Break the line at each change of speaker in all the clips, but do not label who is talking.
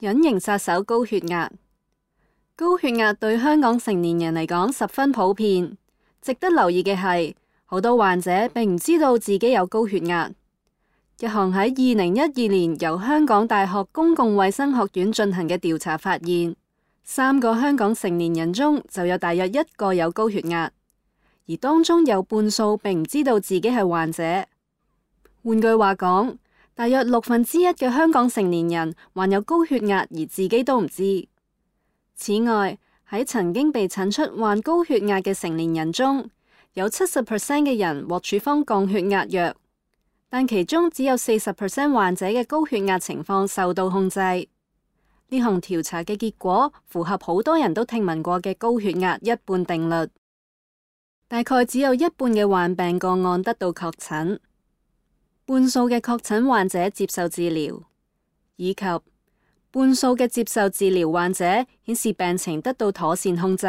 隱形殺手高血壓。高血壓對香港成年人嚟講十分普遍。值得留意嘅係，好多患者並唔知道自己有高血壓。一項喺2012年由香港大學公共衛生學院進行嘅調查發現，3個香港成年人中就有大約1個有高血壓，而當中有半數並唔知道自己係患者。換句話講，大約1/6嘅香港成年人患有高血壓而自己都唔知。此外，喺曾經被診出患高血壓嘅成年人中，有70% 嘅人獲處方降血壓藥，但其中只有40% 患者嘅高血壓情況受到控制。呢項調查嘅結果符合好多人都聽聞過嘅高血壓一半定律，大概只有1半嘅患病個案得到確診。半數嘅確診患者接受治療，以及半數嘅接受治療患者顯示病情得到妥善控制。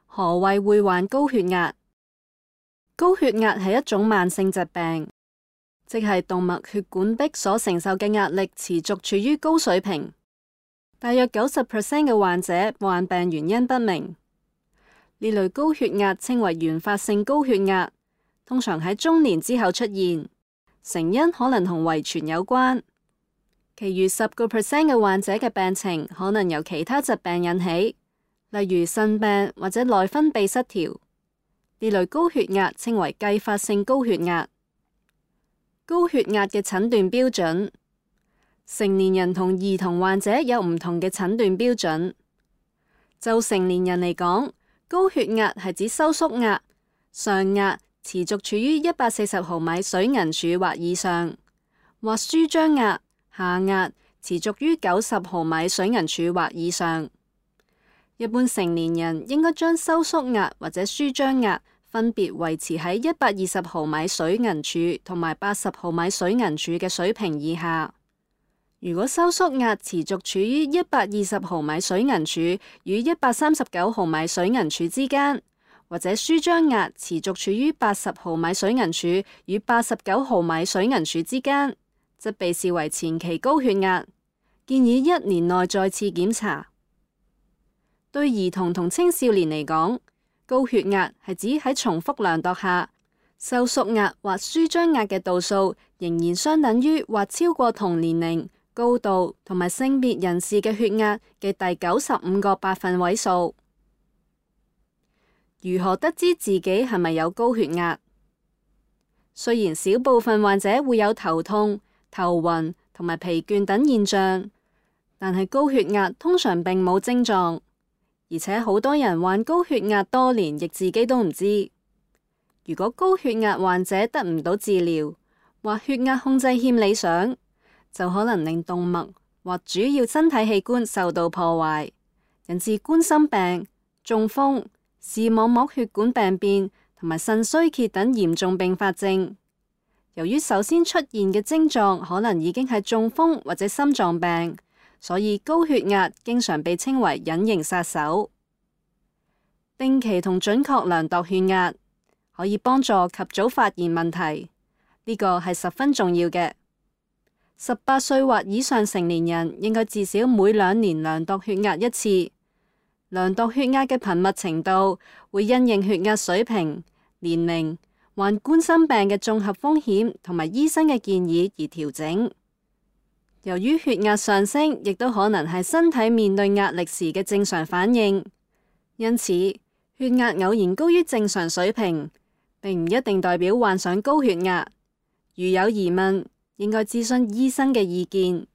何謂會患高血壓？高血壓係一種慢性疾病，即係動脈血管壁所承受嘅壓力持續處於高水平。大約90% 嘅患者患病原因不明。呢類高血壓稱為原發性高血壓，通常喺中年之後出現。成因可能同遺傳有關，其餘10% 嘅患者嘅病情可能由其他疾病引起，例如腎病或者內分泌失調。呢類高血壓稱為繼發性高血壓。高血壓嘅診斷標準，成年人同兒童患者有唔同嘅診斷標準。就成年人嚟講，高血壓係指收縮壓、上壓持續處於140毫米水銀柱或以上，或舒張壓、下壓持續於90毫米水銀柱或以上。一般成年人應該將收縮壓或者舒張壓分別維持喺120毫米水銀柱同埋80毫米水銀柱嘅水平以下。如果收縮壓持續處於120毫米水銀柱與139毫米水銀柱之間，或者舒張壓持續處於80毫米水銀柱與89毫米水銀柱之間，則被視為前期高血壓，建議1年內再次檢查。對兒童同青少年嚟講，高血壓係指喺重複量度下，收縮壓或舒張壓嘅度數仍然相等於或超過同年齡、高度同埋性別人士嘅血壓嘅第95個百分位數。如何得知自己係咪有高血壓？雖然少部分患者會有頭痛、頭暈同埋疲倦等現象，但係高血壓通常並冇症狀，而且好多人患高血壓多年亦自己都唔知。如果高血壓患者得唔到治療，或血壓控制欠理想，就可能令動脈或主要身體器官受到破壞，引致冠心病、中風、視網膜血管病變同埋腎衰竭等嚴重併發症。由於首先出現嘅症狀可能已經係中風或者心臟病，所以高血壓經常被稱為隱形殺手。定期同準確量度血壓可以幫助及早發現問題，呢個係十分重要嘅。18歲或以上成年人應該至少每2年量度血壓一次。量度血壓嘅頻密程度會因應血壓水平、年齡、患冠心病嘅綜合風險同埋醫生嘅建議而調整。由於血壓上升亦都可能係身體面對壓力時嘅正常反應，因此血壓偶然高於正常水平，並唔一定代表患上高血壓。如有疑問，應該諮詢醫生嘅意見。